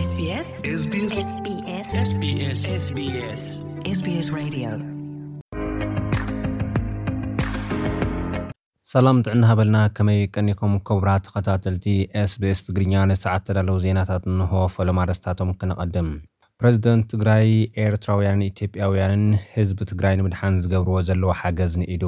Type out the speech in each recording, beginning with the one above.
SBS SBS SBS SBS SBS SBS Radio. ሰላም ጥዕና ሃበልና፣ ከመይ ቀኒኹም ክቡራት ተኸታተልቲ SBS ትግርኛ? ንሰዓት ተዳለዉ ዜናታት እንሆ። ፈለማ ኣርእስታቶም ክነቐድም። ፕረዚደንት ትግራይ ኤርትራውያንን ኢትዮጵያውያንን ህዝቢ ትግራይ ንምድሓን ዝገብርዎ ዘለዉ ሓገዝ ንኢዱ።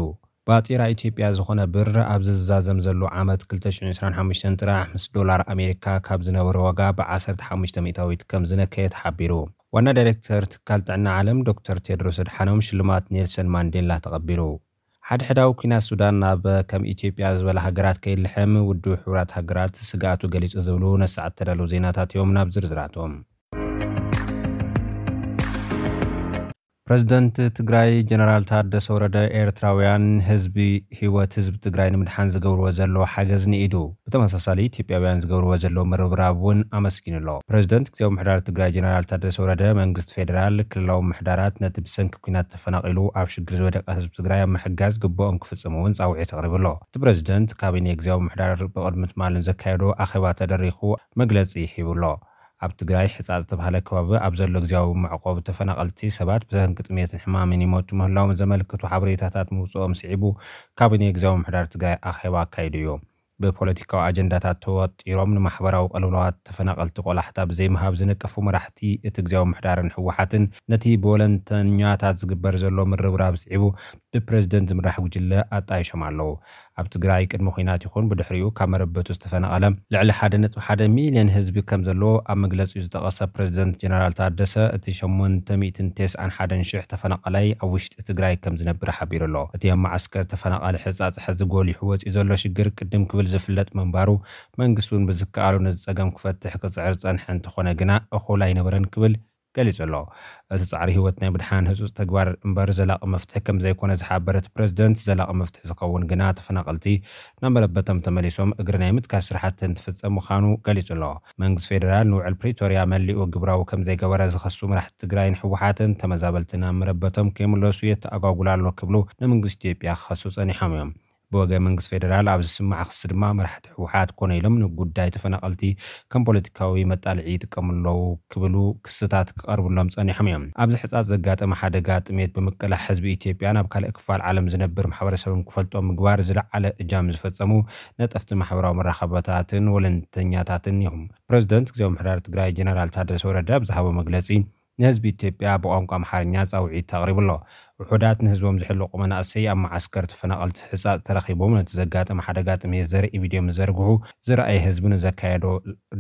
ባጤራ ኢትዮጵያ ዝኾነ ብር ኣብዚ ዝዛዘም ዘሎ ዓመት ክልተ ሽሕን ዕስራን ሓሙሽተን ጥራሕ ምስ ዶላር ኣሜሪካ ካብ ዝነበረ ዋጋ ብ15 ሚእታዊት ከም ዝነከየ ተሓቢሩ። ዋና ዳይሬክተር ትካል ጥዕና ዓለም ዶክተር ቴድሮስ ኣድሓኖም ሽልማት ኔልሰን ማንዴላ ተቐቢሉ። ሓድሕዳዊ ኲናት ሱዳን ናብ ከም ኢትዮጵያ ዝበላ ሃገራት ከይልሕም ውድብ ሕቡራት ሃገራት ስግኣቱ ገሊጹ ዝብሉ ነሰዓት ተዳለዉ ዜናታት እዮም። ናብ ዝርዝራቶም። ፕረዚደንት ትግራይ ጀነራል ታደሰ ወረደ ኤርትራውያን ህዝቢ ህይወት ህዝቢ ትግራይ ንምድሓን ዝገብርዎ ዘለዉ ሓገዝ ንኢዱ። ብተመሳሳሊ ኢትዮጵያውያን ዝገብርዎ ዘለዉ ምርብራብ እውን ኣመስጊኑ ኣሎ። ፕረዚደንት ግዜያዊ ምሕዳር ትግራይ ጀነራል ታደሰ ወረደ መንግስቲ ፌዴራል ክልላዊ ምሕዳራት ነቲ ብሰንኪ ኲናት ተፈናቒሉ ኣብ ሽግር ዝወደቀ ህዝቢ ትግራይ ኣብ ምሕጋዝ ግቡኦም ክፍጽሙ እውን ጻውዒት ኣቕሪቡ ኣሎ። እቲ ፕረዚደንት ካቢኔ ግዜያዊ ምሕዳር ብቕድሚ ትማሊ ዘካየዶ ኣኼባ ተደሪኹ መግለጺ ሂቡ ኣሎ። ኣብ ትግራይ ሕጻ ዝተባህለ ከባቢ ኣብ ዘሎ ግዜያዊ መዕቆቢ ተፈናቐልቲ ሰባት ብሰንኪ ጥሜትን ሕማምን ይሞቱ ምህላዎም ዘመልክቱ ሓበሬታታት ምውፅኦም ስዒቡ ካቢኔ ግዜያዊ ምሕዳር ትግራይ ኣኼባ ኣካይዱ እዩ። ብፖለቲካዊ ኣጀንዳታት ተወጢሮም ንማሕበራዊ ቅልውላዋት ተፈናቐልቲ ቆላሕታ ብዘይምሃብ ዝነቀፉ መራሕቲ እቲ ግዜያዊ ምሕዳርን ህወሓትን ነቲ ብወለንተኛታት ዝግበር ዘሎ ምርብራብ ስዒቡ ብፕረዚደንት ዝምራሕ ጉጅለ ኣጣይሾም ኣለዉ። ኣብ ትግራይ ቅድሚ ኲናት ይኹን ብድሕሪኡ ካብ መረበቱ ዝተፈናቐለ ልዕሊ ሓደ ነጥቢ ሓደ ሚልዮን ህዝቢ ከም ዘሎ ኣብ መግለጺኡ ዝጠቐሰ ፕረዚደንት ጀነራል ታደሰ፣ እቲ ሸሞንተ ሚእትን ተስዓን ሓደን ሽሕ ተፈናቐላይ ኣብ ውሽጢ ትግራይ ከም ዝነብር ሓቢሩ ኣሎ። እቲ ኣብ መዓስከር ተፈናቓሊ ሕጻጽ ሕዚ ጎሊሑ ወጺኡ ዘሎ ሽግር ቅድም ክብል ዝፍለጥ ምንባሩ፣ መንግስቲ እውን ብዝከኣሉ ነዚ ጸገም ክፈትሕ ክጽዕር ዝጸንሐ እንተኾነ ግና እኹል ኣይነበረን ክብል ገሊጹ ኣሎ። እቲ ጻዕሪ ህይወት ናይ ምድሓን ህጹጽ ተግባር እምበር ዘላቒ መፍትሒ ከም ዘይኮነ ዝሓበረ እቲ ፕረዚደንት፣ ዘላቒ መፍትሒ ዝኸውን ግና ተፈናቐልቲ ናብ መረበቶም ተመሊሶም እግሪ ናይ ምትካል ስራሕቲ እንትፍጸም ምዃኑ ገሊጹ ኣሎ። መንግስቲ ፌደራል ንውዕል ፕሪቶርያ መሊኡ ግብራዊ ከም ዘይገበረ ዝኸሱ መራሕቲ ትግራይን ህወሓትን፣ ተመዛበልቲ ናብ መረበቶም ከይምለሱ የተኣጓጉል ኣሎ ክብሉ ንመንግስቲ ኢትዮጵያ ክኸሱ ጸኒሖም እዮም። ብወገን መንግስቲ ፌደራል ኣብ ዝስማዕ ክሲ ድማ መራሕቲ ህወሓት ኮነ ኢሎም ንጉዳይ ተፈናቐልቲ ከም ፖለቲካዊ መጣልዒ ይጥቀሙ ኣለዉ ክብሉ ክስታት ክቐርብሎም ጸኒሖም እዮም። ኣብዚ ሕጻጽ ዘጋጠመ ሓደጋ ጥሜት ብምቅላሕ ህዝቢ ኢትዮጵያ ናብ ካልእ ክፋል ዓለም ዝነብር ማሕበረሰብን ክፈልጦ ምግባር ዝለዓለ እጃም ዝፈጸሙ ነጠፍቲ ማሕበራዊ መራኸብታትን ወለንተኛታትን እዮም። ፕረዚደንት ግዜያዊ ምሕዳር ትግራይ ጀነራል ታደሰ ወረደ ኣብ ዝሃቦ መግለጺ፣ ንህዝቢ ኢትዮጵያ ብቋንቋ ኣምሓርኛ ጻውዒት ኣቕሪቡ ኣሎ። ውሑዳት ንህዝቦም ዝሕልቑ መናእሰይ ኣብ መዓስከር ተፈናቐልቲ ሕጻጽ ተረኺቦም ነቲ ዘጋጠመ ሓደጋ ጥሜት ዘርኢ ቪድዮ ምስ ዘርግሑ ዝረኣየ ህዝቢ ንዘካየዶ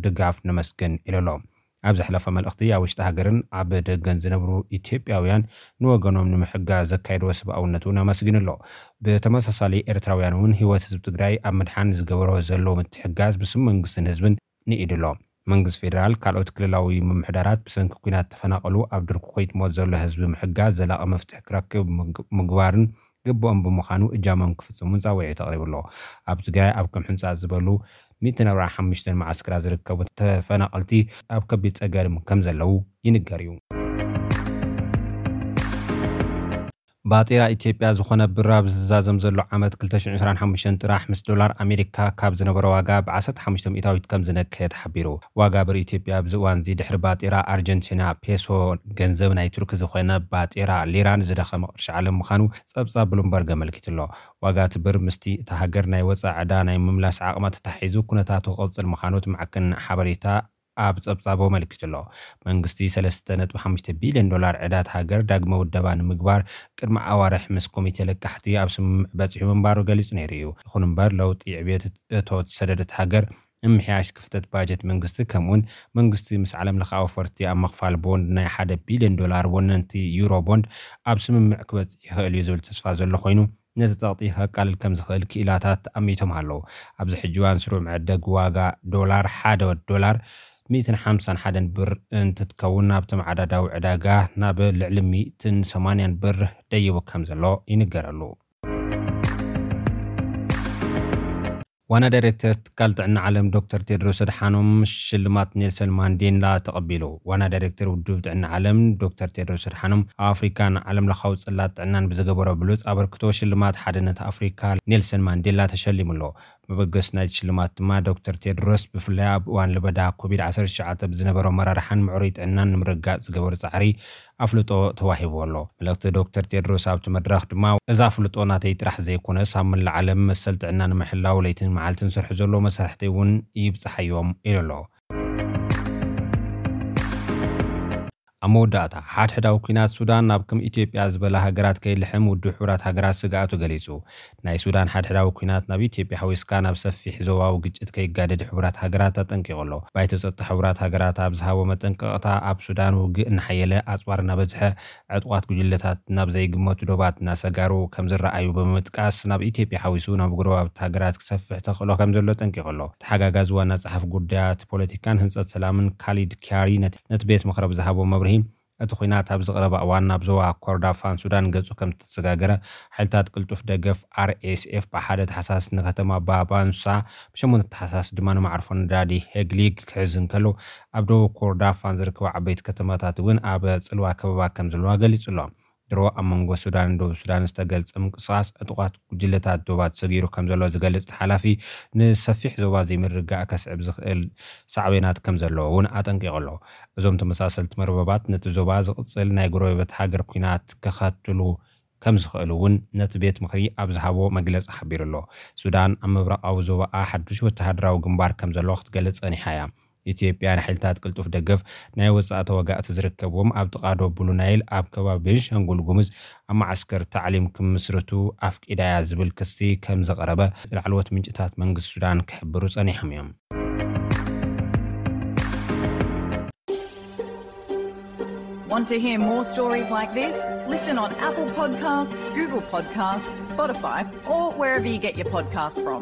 ድጋፍ ነመስግን ኢሉ ኣሎ። ኣብ ዘሕለፎ መልእኽቲ፣ ኣብ ውሽጢ ሃገርን ኣብ ደገን ዝነብሩ ኢትዮጵያውያን ንወገኖም ንምሕጋዝ ዘካየድዎ ሰብኣውነት እውን ኣመስጊኑ ኣሎ። ብተመሳሳሊ ኤርትራውያን እውን ህይወት ህዝቢ ትግራይ ኣብ ምድሓን ዝገበሮ ዘለዉ ምትሕጋዝ ብስም መንግስትን ህዝብን ንኢዱ ኣሎ። መንግስቲ ፌደራል ካልኦት ክልላዊ ምምሕዳራት ብሰንኪ ኲናት ተፈናቐሉ ኣብ ድርኩኺት ሞት ዘሎ ህዝቢ ምሕጋዝ ዘላቒ መፍትሒ ክረክብ ምግ- ምግባርን ግቡኦም ብምዃኑ እጃሞም ክፍጽሙን ጻውዒት ኣቕሪቡ ኣሎ። ኣብ ትግራይ ኣብ ከም ሕንጻጽ ዝበሉ ሚእትን ኣርባዓን ሓሙሽተን መዓስከራት ዝርከቡ ተፈናቐልቲ ኣብ ከቢድ ጸገም ከም ዘለዉ ይንገር እዩ። ባጤራ ኢትዮጵያ ዝኾነ ብር ኣብ ዝዛዘም ዘሎ ዓመት ክልተ ሽሕን ዕስራን ሓሙሽተን ጥራሕ ምስ ዶላር ኣሜሪካ ካብ ዝነበረ ዋጋ ብ15 ሚእታዊት ከም ዝነከየ ተሓቢሩ። ዋጋ ብር ኢትዮጵያ ኣብዚ እዋን እዚ ድሕሪ ባጤራ ኣርጀንቲና ፔሶ፣ ገንዘብ ናይ ቱርኪ ዝኾነ ባጤራ ሊራን ዝደኸመ ቅርሺ ዓለም ምዃኑ ጸብጻብ ብሉምበርግ ኣመልኪቱ ኣሎ። ዋጋ እቲ ብር ምስቲ እታ ሃገር ናይ ወጻኢ ዕዳ ናይ ምምላስ ዓቕማ ተታሒዙ ኩነታቱ ክቕጽል ምዃኑ እቲ ማዕከን ሓበሬታ ኣብ ጸብጻቡ ኣመልኪቱ ኣሎ። መንግስቲ ሰለስተ ነጥቢ ሓሙሽተ ቢልዮን ዶላር ዕዳ እታ ሃገር ዳግመ ውደባ ንምግባር ቅድሚ ኣዋርሕ ምስ ኮሚቴ ለቃሕቲ ኣብ ስምምዕ በጺሑ ምንባሩ ገሊጹ ነይሩ እዩ። ይኹን እምበር፣ ለውጢ ዕብየት እቶት ሰደድ እታ ሃገር፣ ምምሕያሽ ክፍተት ባጀት መንግስቲ፣ ከምኡውን መንግስቲ ምስ ዓለም ለኻዊ ፈርቲ ኣብ ምኽፋል ቦንድ ናይ ሓደ ቢልዮን ዶላር ወነንቲ ዩሮ ቦንድ ኣብ ስምምዕ ክበጽሕ ይኽእል እዩ ዝብል ተስፋ ዘሎ ኮይኑ፣ ነቲ ጸቕጢ ከቃልል ከም ዝኽእል ክኢላታት ኣሚቶም ኣለዉ። ኣብዚ ሕጂ እዋን ስሩዕ መዐደጊ ዋጋ ዶላር ሓደ ዶላር ሚእትን ሓምሳን ሓደን ብር እንትትከውን፣ ናብ ተመዓዳዳዊ ዕዳጋ ናብ ልዕሊ ሚእትን ሰማንያን ብር ደይቡ ከም ዘሎ ይንገረሉ። ዋና ዳይሬክተር ትካል ጥዕና ዓለም ዶክተር ቴድሮስ ኣድሓኖም ሽልማት ኔልሰን ማንዴላ ተቐቢሉ። ዋና ዳይሬክተር ውድብ ጥዕና ዓለም ዶክተር ቴድሮስ ኣድሓኖም ኣብ ኣፍሪካ ንዓለም ለኻዊ ጽላት ጥዕናን ብዝገበሮ ብሉጽ ኣበርክቶ ሽልማት ሓድነት ኣፍሪካ ኔልሰን ማንዴላ ተሸሊሙ ኣሎ። መበገሲ ናይቲ ሽልማት ድማ ዶክተር ቴድሮስ ብፍላይ ኣብ እዋን ለበዳ ኮቪድ ዓሰርተ ትሽዓተ ብዝነበሮ ኣመራርሓን ምዕሩይ ጥዕናን ንምርግጋፅ ዝገበሩ ፃዕሪ ኣፍልጦ ተዋሂቡ ኣሎ። መልእኽቲ ዶክተር ቴድሮስ ኣብቲ መድረኽ ድማ፣ እዚ ኣፍልጦ ናተይ ጥራሕ ዘይኮነስ ኣብ መላእ ዓለም መሰል ጥዕና ንምሕላው ለይትን መዓልትን ዝሰርሑ ዘለዉ መሳርሕተይ እውን ይብፅሓዮም ኢሉ ኣሎ። ኣብ መወዳእታ፣ ሓድሕዳዊ ኲናት ሱዳን ናብ ከም ኢትዮጵያ ዝበላ ሃገራት ከይልሕም ውድብ ሕቡራት ሃገራት ስግኣቱ ገሊጹ። ናይ ሱዳን ሓድሕዳዊ ኲናት ናብ ኢትዮጵያ ሓዊስካ ናብ ሰፊሕ ዞባዊ ግጭት ከይጋደድ ሕቡራት ሃገራት ኣጠንቂቑ ኣሎ። ባይቶ ጸጥታ ሕቡራት ሃገራት ኣብ ዝሃቦ መጠንቀቕታ፣ ኣብ ሱዳን ውግእ እናሓየለ፣ ኣጽዋር እናበዝሐ፣ ዕጡቓት ጉጅለታት ናብ ዘይግመቱ ዶባት እናሰጋሩ ከም ዝረኣዩ ብምጥቃስ፣ ናብ ኢትዮጵያ ሓዊሱ ናብ ጎረባብቲ ሃገራት ክሰፍሕ ተኽእሎ ከም ዘሎ ኣጠንቂቑ ኣሎ። ተሓጋጋዚ ዋና ጸሓፊ ጉዳያት ፖለቲካን ህንጸት ሰላምን ካሊድ ኪያሪ ነቲ፣ ነቲ ቤት ምኽሪ ብዝሃቦ መብርሂ፣ እቲ ኲናት ኣብዚ ቀረባ እዋን ናብ ዞባ ኮርዳፋን ሱዳን ገጹ ከም ዝተሰጋገረ፣ ሓይልታት ቅልጡፍ ደገፍ ኣር ኤስ ኤፍ ብሓደ ታሕሳስ ንከተማ ባባንሳ፣ ብሸሞንተ ታሕሳስ ድማ ንማዕርፎ ነዳዲ ሄግሊግ ክሕዝ እንከሎ፣ ኣብ ደቡብ ኮርዳፋን ዝርከቡ ዓበይቲ ከተማታት እውን ኣብ ጽልዋ ከበባ ከም ዘለዋ ገሊጹ ኣሎ። ድሮ ኣብ መንጎ ሱዳንን ደቡብ ሱዳን ዝተገልጸ ምንቅስቓስ ዕጡቓት ጉጅለታት ዶባት ሰጊሩ ከም ዘሎ ዝገልጽ እቲ ሓላፊ፣ ንሰፊሕ ዞባ ዘይምርግጋእ ከስዕብ ዝኽእል ሳዕቤናት ከም ዘለዎ እውን ኣጠንቂቑ ኣሎ። እዞም ተመሳሰልቲ መርበባት ነቲ ዞባ ዝቕጽል ናይ ጎረቤት ሃገር ኲናት ከኸትሉ ከም ዝኽእሉ እውን ነቲ ቤት ምኽሪ ኣብ ዝሃቦ መግለጺ ሓቢሩ ኣሎ። ሱዳን ኣብ ምብራቓዊ ዞባኣ ሓዱሽ ወተሃደራዊ ግንባር ከም ዘሎ ክትገልጽ ጸኒሓ እያ። ኢትዮጵያ ንሓይልታት ቅልጡፍ ደገፍ ናይ ወጻኢ ተዋጋእቲ ዝርከብዎም ኣብ ጥቓ ዶብ ብሉ ናይል ኣብ ከባቢ ቤንሻንጉል ጉሙዝ ኣብ መዓስከር ታዕሊም ክምስርቱ ኣፍቂዳ እያ ዝብል ክሲ ከም ዘቕረበ ላዕለዎት ምንጭታት መንግስቲ ሱዳን ክሕብሩ ጸኒሖም እዮም። Want to hear more stories like this? Listen on Apple Podcasts, Google Podcasts, Spotify, or wherever you get your podcasts from.